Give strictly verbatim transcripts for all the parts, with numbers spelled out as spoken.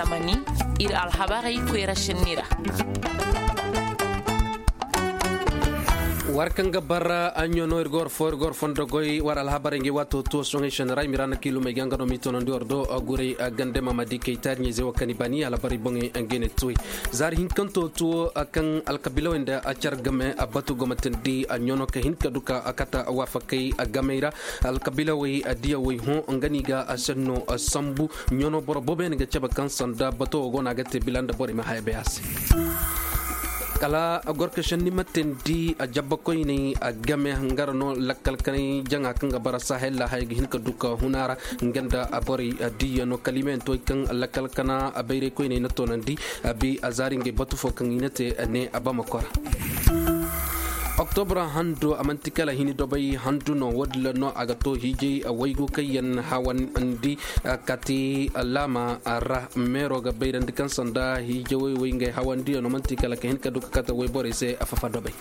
Mani, ir alhabarey koyra sinni ra. War kaŋ ga bara a ɲono ir ga war fo ir ga war fondo goy war alhabarey ngi waato tuwo soŋey sene ra i ma ra na kiilumey ga nga no m'i tonandi war do. Guray gande mamadi kaytaari ɲey ze wo kaŋ i bani alhabarey boŋey nga ne tuwey. Zaari hinkanto tuwo kaŋ alkabiilawey nda car game a batu gomatandi a ɲono ka hin ka du ka kata waafakey gamey ra. Alkabiilawey diyawey hõ nga no i ga senno sambu. Ɲono boro boobo yaŋ ga cabe kaŋ sanda bato wo go no a ga te bila nda borey ma haya bay a se. Kala gorkašandi ma teendi a jabba koyney a game hangara no lakkal kanay jaŋa kaŋ ga bara sahel ra haya ga hin ka du ka huna ra. Nga nda borey diya no kala i ma yaŋ to kaŋ lakkal kana bayray koyney na toonandi. A bi a zaari ngey batu fo kaŋ i na te ne a bama kora. Oktobra handu a manti kala hini dobay handu no wo- din ra no a ga to hiijay waygu kaŋ yaŋ hawandi. Kati laama ra meero ga bayrandi kaŋ sanda hiijawey wey ngey hawandiyaŋo manti kala ka hin ka du ka kate wayborey se a fafa dobay.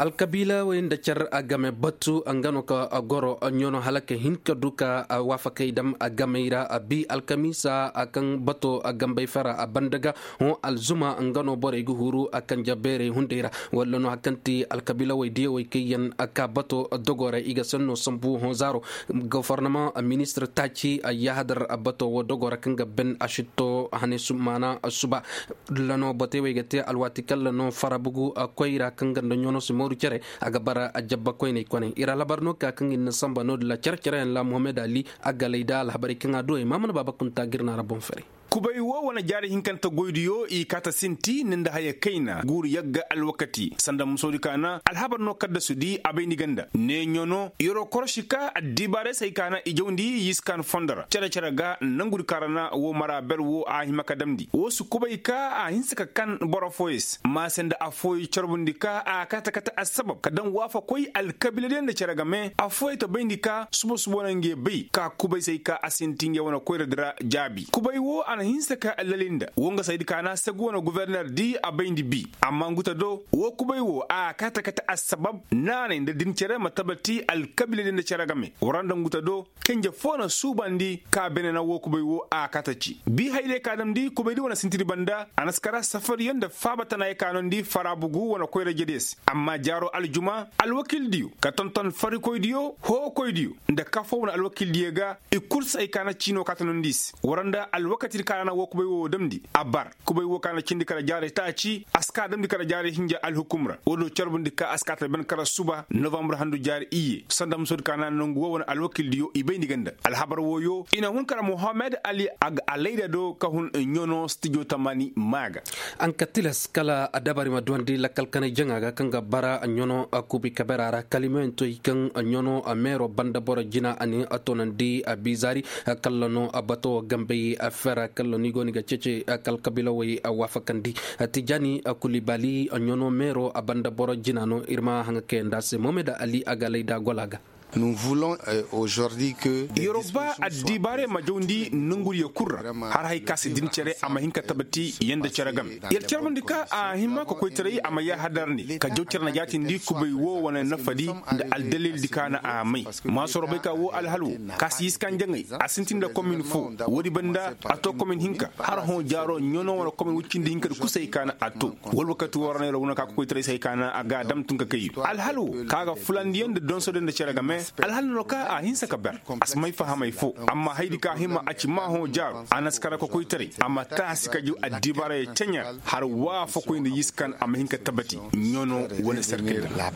Alkabiilawey nda car a game batu nga no ka goro ɲono hala ka hin ka du ka waafakey dam a gamey ra a bi alkamiisa a kaŋ bato a gambey fara a banda ga. Hõ alzuma nga no borey ga huru a kanja beerey hunday ra walla no hari kaŋ ti alkabiilawey diyawey kaŋ yaŋ a ka bato dogo ra i ga sanno sambu hõ zaaro. Gofornamaŋ ministir taaci a yahadar bato wo dogo ra kaŋ ga ben a sitto hane maana suba. Lano batey wey ga te alwaati kaŋ lano farabugu koyra kaŋ ga nda ɲono si mooru cere a ga bara a jabba koyney kone ir alhabar no ka kaŋ ir na samba no- din ra cere-cere yaŋ ra mohammed ali a galay da alhabarey kaŋ a du ay ma mana baaba kunta ga ir na ra boŋ fere. Kubay wo wane jaari hinkante goydiyo i kaata sinti ni nda haya kayna guuru yagga alwakati sanda musoodi kaana alhabar no kaddasudi a bay ni ganda ne ɲono yoro korosi ka addibaarey se ay kaana i jawndi yiskaan fondo ra cere-cere ga nangudi kaŋ ra na wo mara ber wo a hima ka damndi wo si kubay ka a hinse ka kan boro fooyey se maase nda affooyey carbundi ka a kaate kate assabab ka daŋ waafakoy alkabiiladiyaŋ nda cere game affooyey ta bayndi ka suba-suba wane ngey bay ka kubay se ay ka a sinti ngey wane koyradi ra jaabi kubay wo a na hinse ka lali nda wo nga saydi kaana segu wane guverner di a bayndi bi amma nguta do wo kubay wo a kaate kate assabab naanay nda din cere ma tabati alkabiiladiyaŋ nda cere game wara nda nguta do kenje foo na suubandi ka bene na wo kubay wo a kaate ci bi hayday ka damndi kubaydi wane sintidi banda a na si kara safariyo nda faaba tana ye ka nondi farabugu wane koyra jediyo se amma jaaro aljuma alwakildiyo ka tonton farikoydiyo hookoydiyo nda kafoo wane alwakildiyo ga i kul si ay ka na ciino ka ta nondi i se wara nda alwakatidi ka ra na wo kubay wo damndi a bar kubay wo ka na cindi kala jaaray taaci a si ka damndi kala jaaray hinja alhukum ra wo-din carbundi ka a si ka ta ben kala suba novambre handu jaari iyye sanda musoodi ka na nangu wo wane alwakildiyo i bayndi ganda alhabar wooyo i na hun kala mohammed ali a ga alayda do ka hun ɲono stijo tamani maa ga. An ka tilas kala dabari ma duwandi lakkal kanay jaŋa ga kaŋ ga bara ɲono kubi kabera ra kalimoyaŋ to i kaŋ ɲono meero banda boro jina a ni a toonandi a biizaari kalla no bato gambey fera kalla no i go no i ga ceece kala kabiilawey waafakandi. Tijani kulibali ɲono meero a banda boro jina no ir ma haŋa kayandi a se mohammed ali a ga alayda gola ga. Nous voulons aujourd'hui que yoroba addibaarey ma jawndi nongudiyo kul ra har hay ka si din cere a ma hin ka tabati yanda cere game yer carbundi ka a hima ka koytaray a ma yaahadarandi ka jaw cere na jaatindi kubay wo wane nafadi nda aldalildi ka na a may maasoro bay ka wo alhal wo ka si yiskan jaŋay a sintin nda komin fo woodi banda a to komin hinka har hõ jaaro ɲono wane komin woy cindi hinkadi kusay ka na a to wala wakati wo ra no yer wane ka ka koytaray se hay ka na a ga a dam tun ka kay alhal wo ka ga fulandiyaŋ nda donsodiyaŋ nda cere game alhal no ka a hinsa ka ber a si may fahamay fo amma haydi ka hima a ci maa hõ jaaru a na si kara ka koytaray a ma taasi ka jaw addibaarey ceɲa har waafakoy nda yiskan a ma hin ka tabati ɲono wane serkil ra.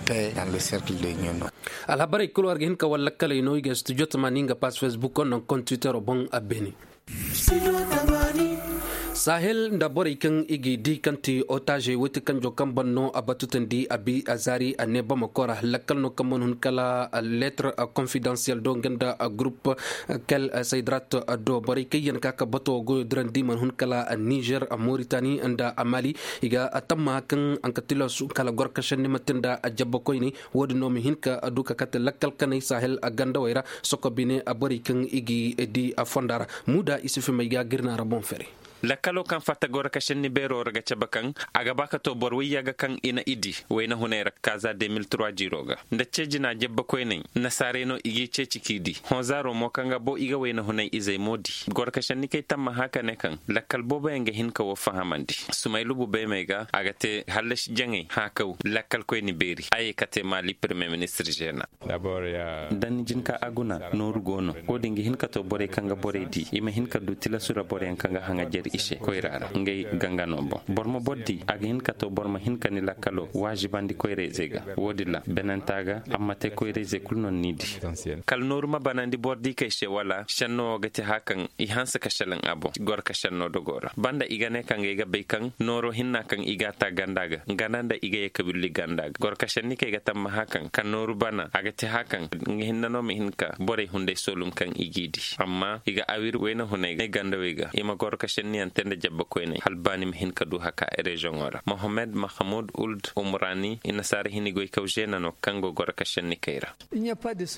Alhabarey kul war ga hin ka war lakkaley no i ga studio tamaani nga pass facebook no kontiwitero boŋ a beene. Sahel nda borey kaŋ i g'i di kaŋ ti otaazey woy ti kanjo kaŋ ban no a batutandi a bi a zaari a ne bamako ra lakkal no kaŋ mana hun kala leetar konfidansiyel do nga nda gurup kel saydrat do borey kaŋ yaŋ ka ka bato goyo dirandi mana hun kala nizer moritani nda mali. I ga tamma kaŋ a ka tilasu kala gorkašandi ma te nda jabba koyney. Wo-din no ma hin ka du ka kate lakkal kanay sahel gandawey ra soko bine borey kaŋ i g'i di fonda ra. Muuda isufu may ga ga ir na ra boŋ fere. Lakkalo kaŋ fatta goro ka senni beero ra ga cabe kaŋ a ga ba ka to boro wayya ga kaŋ i na i di wayna hunay ra kaaza de mil trois jiiro ga nda ce jina jabba koyney. Nasaarey no i g'i ceeci k'i di. Hõ zaaro mo kaŋ ga bo i ga wayna hunay izey mo di. Goro ka senni kay tamma hã ka ne kaŋ lakkal booboyaŋ ga hin ka wo fahamandi. Sumaylubu beemey ga a ga te hallasi jaŋey hã kaw. Lakkal koyni beeri a ye ka te maali permiye ministir zeena. Da ni jin ka a guna nooru go no. Wo-din ga hin ka to borey kaŋ ga borey di i ma hin ka du tilasu ra boroyaŋ kaŋ ga haŋajer i se koyra ra ngey ganga no boŋ boro ma boro di a ga hin ka to boro ma hin ka ni lakkalo waazibandi koyrayzey ga. Wo-din ra benanta ga amma te koyrayzey kulu no ni di. Kala nooru ma banandi boro di kay se wala senno wo ga te hã kaŋ i hanse ka selaŋ a boŋ goro ka senno dogo ra banda i ga ne kaŋ ga ay ga bay kaŋ nooro hinna kaŋ i g'a ta ganda ga ganda nda i ga ye ka willi ganda ga goro ka senni kay ga tamma hã kaŋ ka nooru bana a ga te hã kaŋ nga hinna no ma hin ka borey hunday soolum kaŋ i g'i di. Amma i ga awir wayna hunay gandawey ga i ma goro ka senniyaŋ te nda jabba koyney hala ba ni ma hin ka du haka reziyoŋo ra mohammed mahamud uld umrani i nasaara hini goykaw zeena no kaŋ go goro ka senni kay ra.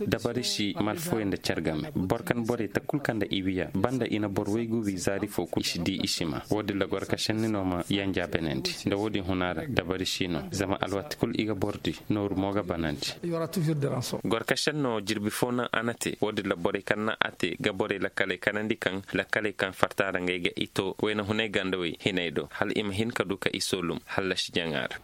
Dabari si malfooyaŋ nda care game boro kaŋ borey ta kul kaŋ nda i wiya banda i na boro waygu wi zaari fo kul i si di i si ma wo-din ra goro ka senni no ma yanja benandi nda wo-din huna ra dabari si no zama alwati kul i ga boro di. Nooru mo ga banandi. Goro ka senno jirbi fo naŋ a na te wo-din ra borey kaŋ naŋ a te ga borey lakkaley kanandi kaŋ lakkaley kaŋ farta ra ngey ga i to wayna hunay gandawey hinay do hala i ma hin ka du ka i soolum hallasi jaŋa ra.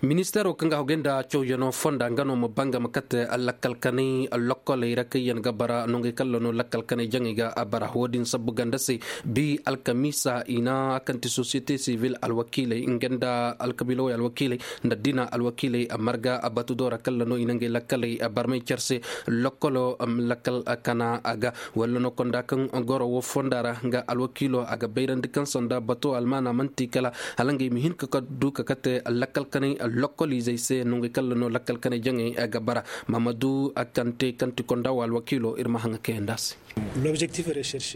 Ministeero kaŋ ga hogay nda cawyanoo fonda nga no ma banga ma kate lakkal kanay lokkoley ra kaŋ yaŋ ga bara nongey kalla no lakkal kanay jaŋey ga a bara wo-din sabbu ganda se. Bi alkamiisa i na kaŋ ti sosiyete sivil alwakiiley nga nda alkabiilawey alwakiiley nda diina alwakiiley marga batudo ra kalla no i na ngey lakkaley barmay care se. Lokkolo lakkal kana a ga walla no konda kaŋ goro wo fonda ra nga alwakiilo a ga bayrandi kaŋ sanda bato almaana man'ti kala hala ngey ma hin ka du ka kate lakkal kanay lokkoliizey se nongey kalla no lakkal kanay jaŋey ga bara. Mamadu kante kaŋ ti konda wo alwakiilo ir ma haŋa kayandi a se.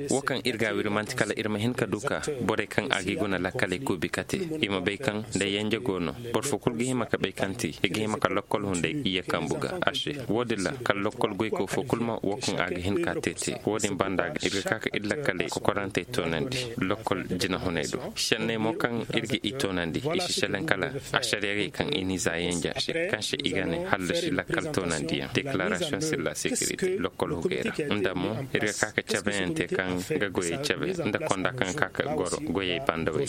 Wo kaŋ ir ga a wiri man'ti kala ir ma hin ka du ka borey kaŋ a g'i guna lakkaley kuubi kate i ma bay kaŋ nda yanja go no. Boro fo kul ga hima ka bay kaŋ ti i ga hima ka lokkol hunday iyye kambu ga a se. Wo-din ra kala lokkol goyko fo kul ma wo kaŋ a ga hin ka te te wo-din banda ga ir ga ka ka ir lakkaley kokorantey toonandi lokkol jinahuney do. Senney mo kaŋ ir ga i toonandi i si selaŋ kala asariyarey kaŋ i n'i za yanja se kaŋ se i ga ne hallasi lakkal toonandiyaŋ dekilarasiyoŋ sir la sekirite lokkol hugey ra. Nda mo ir ga ka ka cabeyaŋ te kaŋ ga goyey cabe nda konda kaŋ ga ka ka goro goyey bandawey.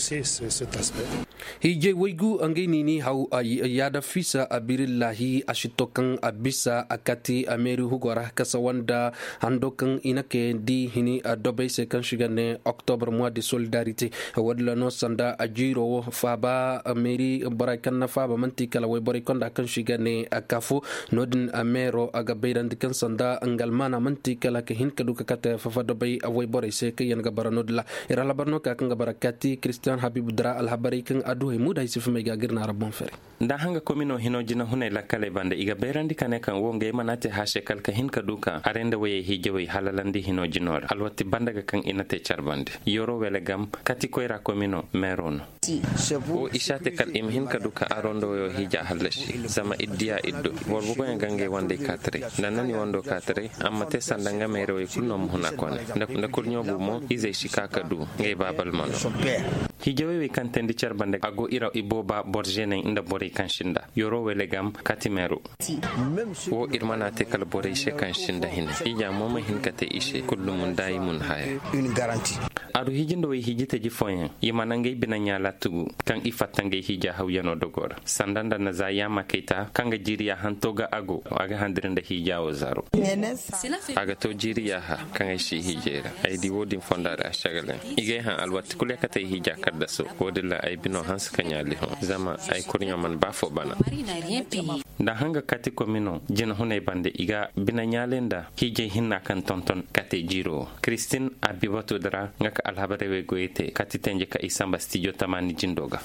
Hiijay waygu ngey no i n'i haw yaada fiisa abirillahi a si to kaŋ a bisa a kati a meeri hugo ra kasa wanda hando kaŋ i na kayandi hini dobey se kaŋ si ga ne oktobre mois de solidarite. Wo-din ra no sanda a jiiro wo faaba meeri borey kaŋ na faaba man'ti kala wayborey konda kaŋ si ga ne a kafu. No-din meero a ga bayrandi kaŋ sanda nga almaana man'ti kala ka hin ka du ka kate fafa dobey wayborey se kaŋ yaŋ ga bara no-din ra. Ir alhabar no ka kaŋ ga bara kati kiristiyan habibu dira alhabarey kaŋ a du hay muuda ay si fumay ga gir na ra boŋ fere. Nda a hanga komino hino jinahunay lakkaley banda i ga bayrandi ka ne kaŋ wo ngey mana te haase kala ka hin ka du ka are nda wayey hiijawey halalandi hino jino ra alwatti banda ga kaŋ i na te care bande. Yoro wele gam kati koyra komino meero no. Wo i si a te kala i ma hin ka du ka aro nda wayo hiija hallasi zama ir diya ir do. Boro boboyaŋ ga ngey wandey kaataray nda na ni wando kaataray a ma te sanda nga meerawey kulu no ma huna kone. Nda kurɲo bu mo izey si ka ka du ngey baabal ma no. Hiijawey wey kaŋ teendi care bande a go ira ibooba boro zeeney nda borey kaŋ sinda yoro wele gam kati meero. Wo ir mana te kala borey se kaŋ sinda hine ija mo ma hin ka te i se kulu mun da i mun haya. A du hiiji nda way hiiji taji fooyaŋ i mana ngey bine ɲaala tugu kaŋ i fatta ngey hiija hawyano dogo ra sanda nda na za yaama kayta kaŋ ga jiiri ya hanto ga a go a ga handiri nda hiija wo zaro. A ga to jiiri yaaha kaŋ ay si hiijay ra ay di wo-din fonda ra a sagaleŋ. I g'ay haŋ alwati kulu ya kate ay hiija kaddaso. Wo-din ra ay bino hanse ka ɲaali hõ zama ay kurɲo mana ba fo bana. Nda hanga kati komino jinahuney bande i ga bine ɲaaley nda hiijay hinna kaŋ tonton kate jiiro wo. Kiristin a bi batu di ra nga ka alhabarey wey goyey te kati tenje ka i samba stijo tamaani jindo ga.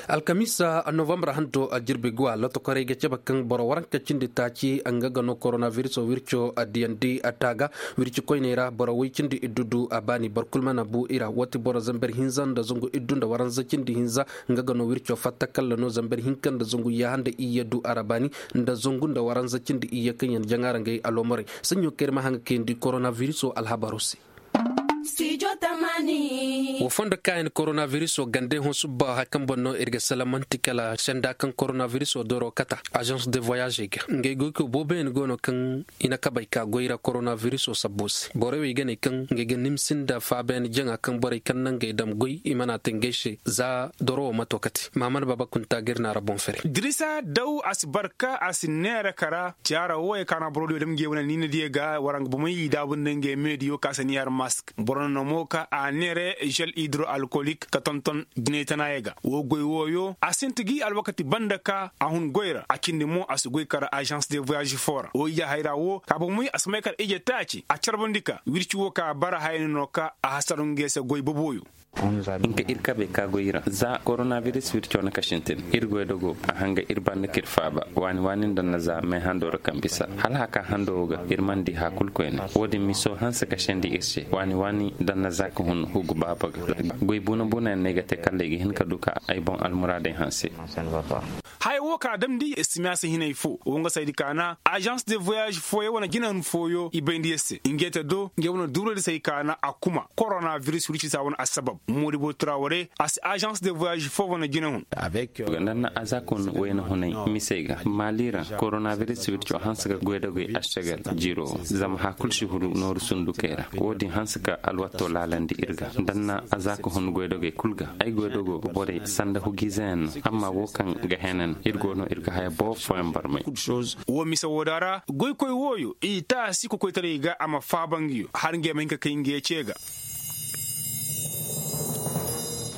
Alkamiisa novambar hanto a jirbi guwa lotokorey ga cabe kaŋ boro waranka cindi taaci nga ga no koronabiriso wirco a diyandi a taaga. Wirci koyney ra boro woy cindi iddu du a baani boro kul mana bu i ra woo ti boro zamber hinza nda zangu iddu nda waranza cindi hinza. Nga ga no wirco fatta kalla no zamber hinka nda zangu yaaha nda iyye du a ra baani nda zangu nda waranza cindi iyye kaŋ yaŋ jaŋa ra ngey aloomorey. Saɲɲo kaŋ ir ma haŋa kayandi koronabiriso alhabaro se. Wo fondo kaayan koronabiriso gande hõ subba haya kaŋ boŋ no ir ga salamanti kala senda kaŋ koronabiriso doro kata. Azans de voyage ga ngey goykoy booboyaŋ go no kaŋ i na kabey ka goy ra koronabiriso sabbo se borey wo i ga ne kaŋ ngey ga nimsi nda faabayaŋ jaŋa kaŋ borey kaŋ na ngey dam goy i mana te ngey se za doro wo ma to kate maamana baaba kunta ga ir naara boŋ fere. Dirisa daw a si barka a si neera kara jaara wooyey kaŋ a na boro diyo dam ngey wane niina diyo ga wara nga bomey i daabu nda ngey meediyo ka si niihar mask boro na no mo ka a neere žel hidro alkolik ka tonton jinay tanaayey ga woo goy wooyo a sinti gi alwakati banda ka a hun goy ra a cindi mo a si goy kara azans de voyage foo ra woo ijahayra woo ka bomey a si may kala ije taaci a carbandi ka wirci woo ka bara hayani no ka a hasar ngey se goy boboyo. Hinka ir kabey ka goy ra za koronabiris wirco na ka sintin ir goydogo a hanga ir banda ka ir faaba waani waani nda na za meehando ra kaŋ bisa hala haka hando wo ga ir mana di haya kul koyne. Wo-din miso hanse ka sendi ir se waani waani nda na za ka hun hugu baaba ga goy buna buna yaŋ no ay ga te kala ay ga hin ka du ka ay boŋ almuraadey hanse. Haya wo ka damndi estimiyasa hinay fo wo nga saydi kaana azans de voyage fooyo wane jinahun fooyo i bayndi yer se ngey te do ngey wane duuraydi say kaana a kuma koronabiris wircisa wane assabab moodibo traware a si azans de voyage foo wane jinahun. Nda na azakun wayna hunay misey ga maali ra koronabiris wirco hanse ga goydogey ašagal jiro zama haya kul si huru nooru sundukey ra wo-din hanse ka alwato laalandi ir ga nda na azaku hun goydogey kul ga ay goydogo borey sanda hugiizeyaŋ no amma wo kaŋ ga henan ir go no ir ga haya boro fooyaŋ barmay. Wo mise wooda ra goykoy wooyo i taasi kokoytaray ga a ma faaba nga yo har ngey ma hin ka kay ngey ce ga.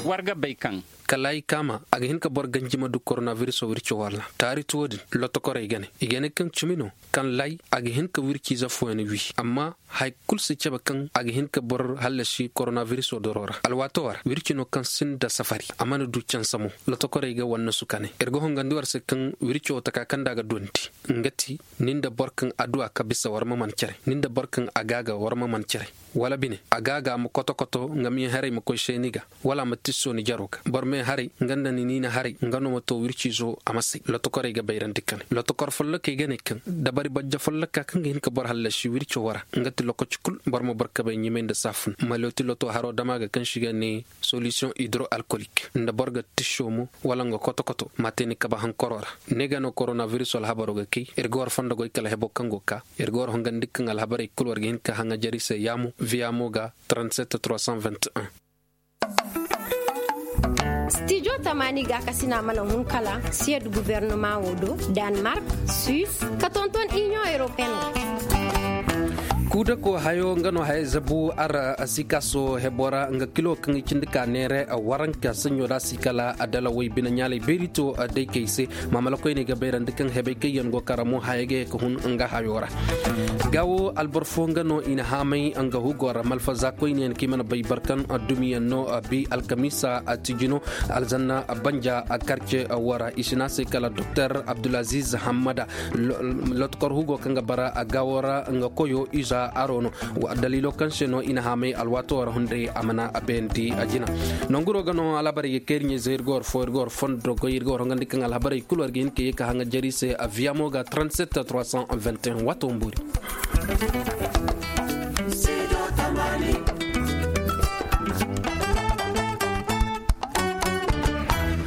War ga bay kaŋ kala ay kaama a ga hin ka boro ganji ma du koronabirisoo wirco walla taari ti wo-din lotokorey ga ne i ga ne kaŋ cimi no kaŋ lay a ga hin ka wirciize fooyaŋ wi amma haya kul si cabe kaŋ a ga hin ka boro hallasi koronabirisoo doroo ra alwaatoo ra wirci no kaŋ sinda safari a mana du canse mo. Lotokorey ga wannasu ka ne ir ga hongandi war se kaŋ wircoo taka kaŋ nda a ga duwandi nga ti ni nda boro kaŋ adduwa ka bisa war ma man cere ni nda boro kaŋ a gaaga war ma man cere wala bine a gaaga ma koto-koto nga meeharay ma koy seeni ga wala a ma tisso ni jaroo ga boro meeharay nga nda ni niina haray nga no ma to wirciizo a ma say lotokorey ga bayrandi ka ne lotokor follokey ga ne kaŋ dabari bajja folloka kaŋ ga hin ka boro hallasi wirco wara nga ti lokaci kul boro ma boro kabay ɲimay nda saafun ma looti loto haroo dama ga kaŋ si ga ne solisiyoŋ hidro alkolik nda boro ga tisso mo wala nga koto-koto ma te ni kaba hankoroo ra. Ne ga no koronabiris alhabaroo ga kay ir ga war fondo goy kala heboo kaŋ go ka ir ga war hongandi kaŋ alhabarey kul war ga hin ka haŋajari se yaamo viyamo ga trente-sept trois cent vingt et un. Stijo tamaani gaakasina mana hun kala siyed gubernama wo do, danmark, suis, ka tonton iniyoŋ europeen wo. Kuudako hayo nga no haya zabu ara sikaso hebora nga kilo kaŋ i cindi ka neere waranka saɲo da si kala adala way bine ɲaalay beeri to day kay se. Maamalakoyney ga bayrandi kaŋ hebey kaŋ yaŋ go kara mo haya ga ye ka hun nga hayo ra. Gaawo alboro fo nga no i na haamay nga hugo ra malfaza koyne yaŋ kaŋ i mana bay barkan dumiyaŋ no bi alkamiisa tijino alzanna banja karce wara i si ne a se kala doktor abdulaziz hammada. Lotkor hugo kaŋ ga bara gaawo ra nga koyo iza aro no. Daliilo kaŋ se no i na haamay alwaato wara hunday a mana a bayandi a jina. Nonguro ga no alhabarey ga kay ir ɲayzey ir ga war fo ir ga war fondo goy ir ga war hongandi kaŋ alhabarey kulu war ga hin ka ye ka haŋa jari se a viyamo ga trente-sept trois cent vingt et un waato mboori.